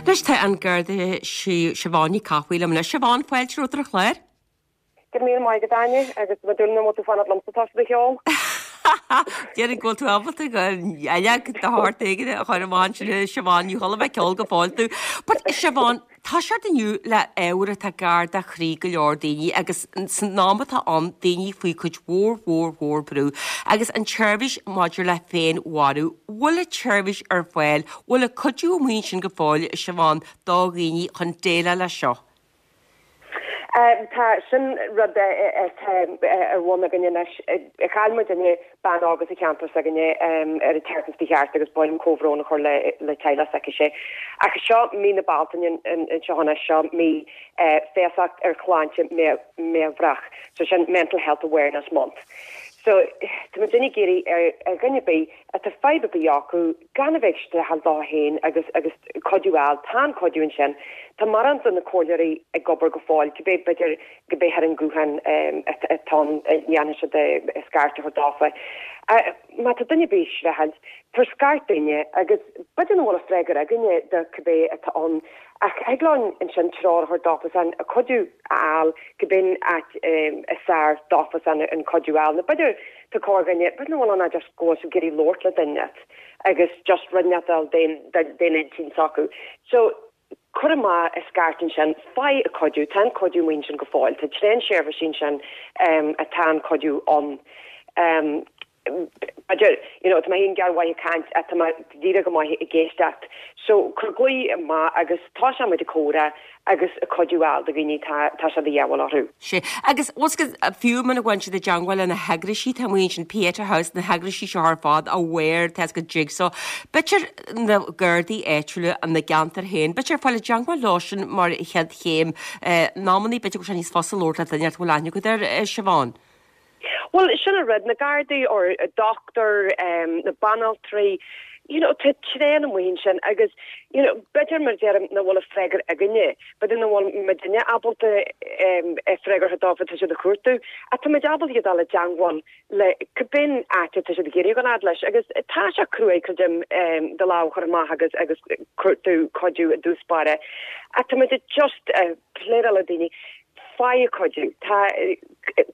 Anois tá an Garda Siobhán Ní Cathmhaoil liom anois. Siobhán, fáilte romhat ar an chlár. Go raibh míle maith agat, Áine, agus tá mé ag dúil nach bhfuil tú fanacht liomsa toisc do cheol. Déarfainn go bhfuil tú ábalta uileag de shórt éigin a chur amach ansin a Siobhán, ní chuala mé ceol go fóill tú. But Siobhán, toiseacht inniu le ábhar atá gar do chroí go leor daoine agus san am atá ann, daoine faoi chuid mhór mhór mhór brú agus an tseirbhís maidir le féinmharú, bhfuil an tseirbhís ar fáil, bhfuil an cuidiú amuigh ansin go fóill, a Siobhán, do dhaoine chun déileáil leis seo? Tá, sin rud atá ar bun againne anois. Chaill muidinne bean óg as an cheantar s'againne ar an tseachtain seo chuaigh thart agus ba mhaith liom comhbhrón a chur le teaghlach s'aicise. Ach seo mí na Bealtaine anseo anois, seo mí feasacht ar shláinte meabhrach, so sin Mental Health Awareness Month. So tá muidinne ag iarraidh ar dhuine ar bith atá fadhb ar bith acu, gan a bheith ag streachailt leo féin agus agus cuidiú a fháil. Tá an cuidiú ansin. Tá mórán de na comhairleoirí ag obair go fóill, cibé b'fhéidir go b'é ar an nguthán atá ann a dhéanfaidh siad scairt a chur dófa. Má tá duine ar bith ag streachailt, tabhair scairt dúinne agus b'fhéidir nach bhfuil an freagra againne do cibé atá ann ach thig linn ansin treoir a thabhairt dófasan, cuidiú a fháil, cibé áit is fearr dófasan an cuidiú a fháil. Nó b'fhéidir tá corrdhuine, b'fhéidir nach bhfuil ann ach just go bhfuil siad ag iarraidh labhairt le duine agus just rud inteacht a fháil den intinn s'acu. So, cuir amach an scairt ansin, faigh an cuidiú, tá an cuidiú amuigh ansin go fóill, tá tréan seirbhísí ansin atá an cuidiú ann. B'fhéidir, you know, tá mé féin gearrmhaith ag caint ach tá mé díreach go maith ag éisteacht. So, cuir glao amach agus tosóidh muid ag comhrá agus cuidiú a fháil do dhaoine tá tá sé de dhíobháil orthu. Sea. Agus bhfuil 's agat, fiú muna bhfaigheann siad i dteangmháil le na heagraisí atá amuigh ansin, Pieta House, na heagraisí seo ar fad, Aware, tá 's agat Jigsaw, b'fhéidir na Gardaí áitiúla ina gceantar féin, b'fhéidir fáil i dteangmháil leo sin mar chéad chéim. In amannaí b'fhéidir go bhfuil sé níos fusa labhairt le duine a bhfuil aithne agat air, Siobhán. Bhuel, sin an rud, na Gardaí or dochtúir, na banaltraí, you know, tá tréan amuigh ansin agus, you know, b'fhéidir mar a deirim nach bhfuil an freagra againne, b'fhéidir nach bhfuil muidinne ábalta freagra a thabhairt dóibh atá siad a chuartú, ach tá muid ábalta iad a fháil i dteangmháil le cibé áit atá siad ag iarraidh a dhul fhad leis agus tá sé cruaidh, creidim, do lámh a chur amach agus agus cuartú cuidiú i dtús báire ach tá muid just pléaráil le daoine. Faigh an cuidiú. Tá,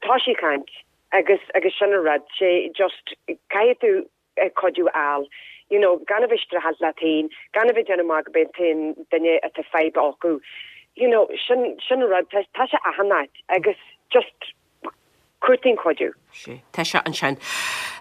tá sí ag caint agus, agus sin an rud, sé just, caithfidh tú cuidiú a fháil, you know, gan a bheith ag streachailt leat féin, gan a bheith ag déanamh amach go b'é an t-aon duine atá fadhb acu, you know, sin, sin an rud, tá, tá sé achan áit agus just cuartaigh an cuidiú. Sea, tá sé ansin.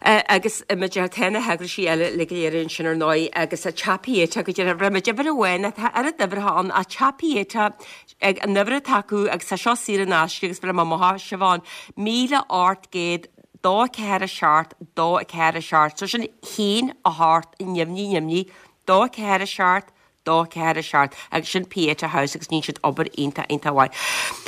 Agus muid ar tá na heagraisí eile uilig go léir ansin ar ndóigh agus Teach Pieta go deimhin bhreith muid uimhir amháin tá oiread uimhreacha ann ach Teach Pieta ag an uimhir atá acu agus tá seo saor in aisce agus bhreith mé amach Siobhán 1800 2 4 7 2 4 7 so sin 1 8 neamhní neamhní 2 4 7 2 4 7 agus sin Pieta House agus níonn siad obair iontach iontach mhaith.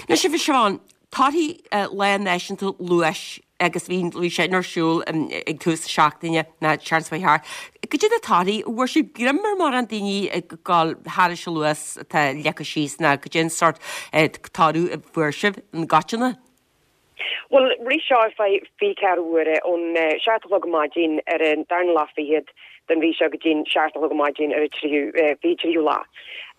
Anois a Siobhán, Torthaí Lá Náisiúnta Luais agus bhí bhí sé ar siúl ag tús na seachtaine ná seachtain seo chuaigh thart. Goidé na torthaí, bhfuair sibh greim ar mórán daoine ag dul thairis an luas atá leagtha síos ná goidé an sórt toradh a fuair sibh i gcoitinne? Bhuel, rith seo ar feadh 24 uaire, ón 7 a chlog ar maidin ar an darna lá fichead den mhí seo go dtí'n 7 a chlog ar maidin ar an tríú, 23ú lá.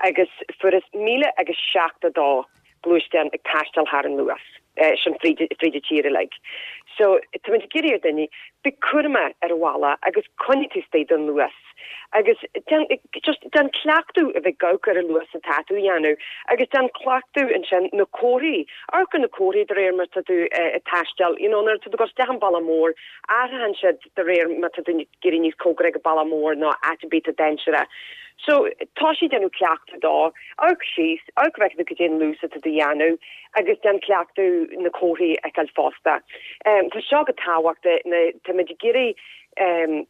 Agus fuarthas 1,072 gluaisteán ag taisteal thar an luas sin fríd fríd an tír uilig. So táimid ag iarraidh ar daoine, bí cúramach ar an bhealach agus coinnigh taobh istigh den luas agus déan just déan cleachtadh a bheith ag amharc ar an luas atá tú a dhéanamh agus déan cleachtadh ansin na comharthaí, amharc ar na comharthaí de réir mar tá tú ag taisteal, you know nuair atá tú ag dul isteach an bealach mór, athraíonn siad de réir má tá tú ag éirí níos cóngaraí ag an bealach mór nó áit ar bith atá dainséarach. So, tosaigh ag déanamh cleachtadh dó, amharc síos, amharc go bhfeicfidh tú cad é an luas atá tú a dhéanamh agus déan cleachtadh na comharthaí a fheiceáil fosta. Tá seo go tábhachtach, táimid ag iarraidh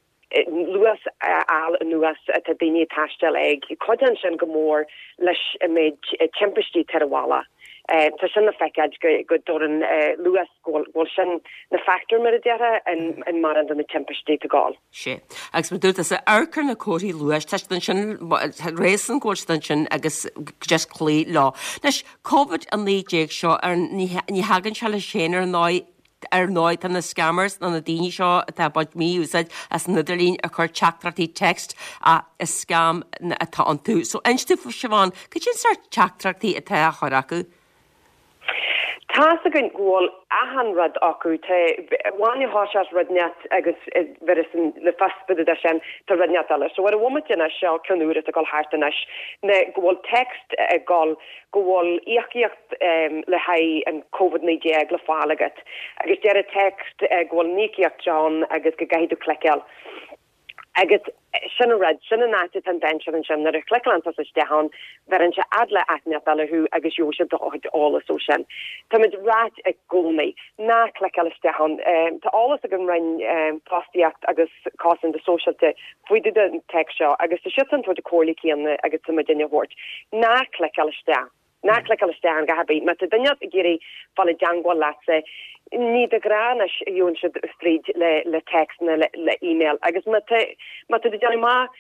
luas a fháil anuas atá daoine ag taisteal ag. Cuidíonn sin go mór leis an méid timpistí atá ar an bhealach. Tá sin le feiceáil go dtabharann luas go bhfuil sin 'na factor, mar a déarfá, in mórán de na timpistí atá ag gabháil. Sea. Agus mar dúirt tusa, amharc ar na comharthaí luais, tá siad ansin, tá réasún go bhfuil siad ansin agus just cloí leo. Anois, Covid-19 seo, ar, ní, ní thagann sé leis féin ar ndóigh. Ar ndóigh, tá na scammers, nó na daoine seo atá ag baint mí-úsáid as an idirlíon ag cur teachtaireachtaí text ach is scam atá iontu. So inis domh, Siobhán, cad é an sórt teachtaireachtaí atá á chur acu? Tá's againn go bhfuil achan rud acu. Tá bhain a thoiseacht rud inteacht agus bheireas le fios fá dtaobh de sin, tá rud inteacht eile. So ar an bhomaite anois, seo ceann úr atá ag dul thart anois, ná go bhfuil text ag dul go bhfuil íocaíocht le haghaidh an Covid-19 le fáil agat agus deir an text go bhfuil an íocaíocht seo ann agus go gcaithfidh tú cliceáil. Agus sin an rud, sin an áit atá an dainséar ansin, nuair a chliceálann tusa isteach ann, bheireann sé fhad le áit inteacht eile thú agus gheobhaidh siad do chuid eolas ó sin. Táimid ráit i gcónaí, ná cliceáil isteach ann. Tá eolas ag an Roinn Fostaíocht agus Cosanta Sóisialta faoi dtaobh den text seo agus tá siadsan ag tabhairt an comhairle céanna agus tá muidinne a thabhairt. Ná cliceáil isteach. Ná cliceáil isteach ann a dhath ar bith. Má tá duine ag iarraidh fáil i dteangmháil leatsa, ní de ghnáth anois a gheobhann siad fríd le le text nó le le email. Agus má tá má tá tú ag déanamh amach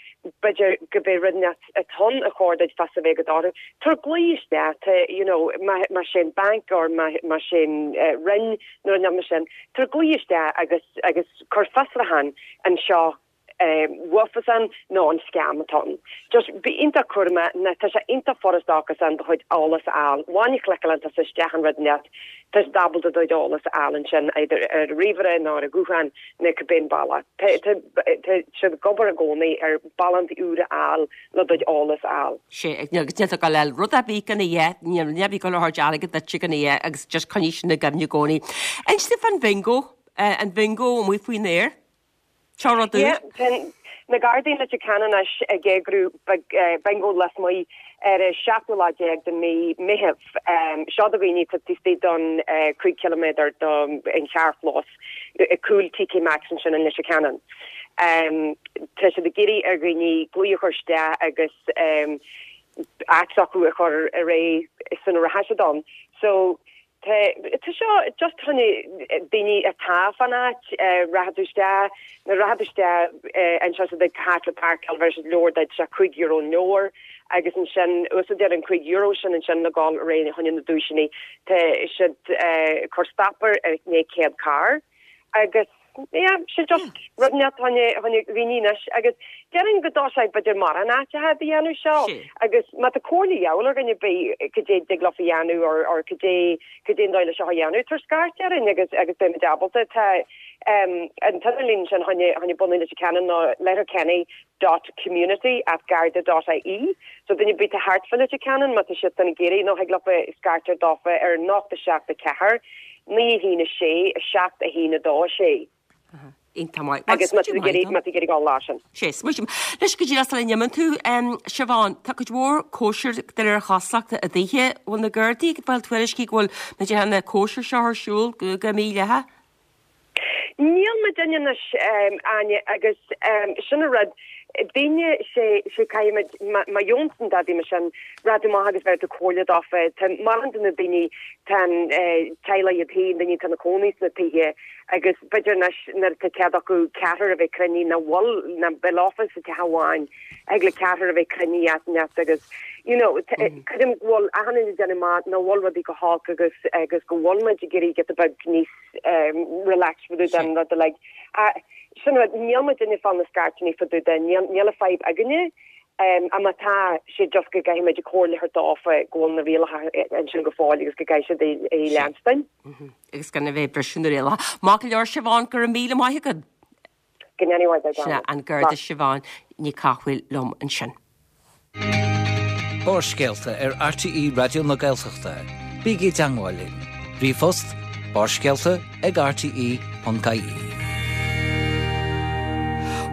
b'fhéidir go b'é rud inteacht atá ann a chóir duit fios a bheith agat orthu, tabhair glao isteach, tá you know má má sé an banc or má má sé an roinn nó rud inteacht mar sin, tabhair glao isteach agus agus cuir fiosrúchán anseo uafasan nó an scam atá ann. Just bí iontach cúramach ná tá sé iontach furasta acusan do chuid eolas a fháil. An bhomaite a chliceálann tusa isteach an rud inteacht, tá siad ábalta do chuid eolas a fháil ansin either ar an ríomhaire nó ar an ghuthán nó cibé an bealach. Tá tá tá siad ag obair i gcónaí ar bealaí úra a fháil le do chuid eolas a fháil. Sé, agus níl tú ag dul a fháil rud ar bith gan a dhath, níl rud ar bith ag dul a thabhairt airgead duitse gan a dhath agus just coinnigh sin i gcuimhne i gcónaí. Inis domh fán bhingo, an bingo amuigh faoin aer. Seo rud úr. Yeah, tá na Gardaí in Leitir Ceanainn anois ag eagrú bingo lasmuigh ar an seachtú lá déag de mhí Meitheamh. Seo do dhaoine atá taobh istigh don 5 ciliméadar don charrchlós ag cúl TK Maxx ansin in Leitir Ceanainn. Tá siad ag iarraidh ar dhaoine glao a chur isteach agus áit s'acu a chur ar aghaidh sula rachaidh siad ann. So Tá, tá seo just fá choinne daoine atá fán áit, rachaidh tú isteach, nuair a rachaidh tú isteach anseo sa tigh thart le páirceáil bhéarfaidh siad leabhar duit, sé €5 an leabhar agus ansin úsáidtear an €5 sin ansin le dhul ar aghaidh fá choinne na duaiseanna. Tá siad ag cur stop ar ndiaidh 100 carr agus yeah, sé just rud inteacht fá choinne dhaoine anois agus déarfainn go dtosóidh b'fhéidir mórán áiteacha a dhéanamh seo agus má tá comhairle de dhíobháil ar dhuine ar bith cad é dtig leofa dhéanamh or or cad é cad é an dóigh le seo a dhéanamh tabhair scairt orainn agus agus beimid ábalta tá um, an t-idirlíon sin fá choinne fá choinne bunú Leitir Ceanainn ná letterkenny dot community at garda dot ie so duine ar bith atá thart fá Leitir Ceanainn má tá siad san ag iarraidh nó thig leofa scairt ar dófa ar 0 7 4 9 1 6 7 1 2 6. Iontach maith. Agus má tá tú ag iarraidh má tá tú ag iarraidh dul lá sin. Sé, smaoiním. Anois go díreach sula n-imíonn tú, Siobhán, tá cuid mhór cóisir de réir chosúlachta i dtithe. Bhfuil na Gardaí ag fáil tuairiscí go bhfuil na dtithe na cóisir seo ar siúl go mídhleathach? Níl muidinne anois, Áine, agus sin an rud, daoine, sé, sé caithfimid, má gheobhann tú dadaí mar sin, rachaidh tú amach agus bheir tú comhairle dófa. Tá mórán de na daoine, tá an teaghlaigh iad féin, daoine atá ina cónaí sna tithe agus b'fhéidir anois nuair atá cead acu ceathrar a bheith cruinnithe nach bhfuil, nach bheith leofa sa teach amháin, thig le ceathrar a bheith cruinnithe áit inteacht agus you know, creidim go bhfuil achan duine ag déanamh amach nach bhfuil rudaí go holc agus agus go bhfuil muid ag iarraidh giota beag níos relaxed fá dtaobh den rud uilig. Sin rud, níl muidinne ag fáil na scairteanna fá dtaobh de, níl níl an fadhb againne. Ach má tá sé just go gcaithfidh muid comhairle a thabhairt dófa go bhfuil na rialacha ansin go fóill agus go gcaithfidh siad é a leanstan. Agus gan a bheith ag briseadh na rialacha. Maith go leor Siobhán, go raibh míle maith agat. Go ndéana Dia Sin é an Garda Siobhán Ní Cathmhaoil liom ansin. Barrscéalta ar RTÉ Raidió na Gaeltachta. Bígí i dteangmháil linn. Ríomhphost, barrscéalta ag rte.ie.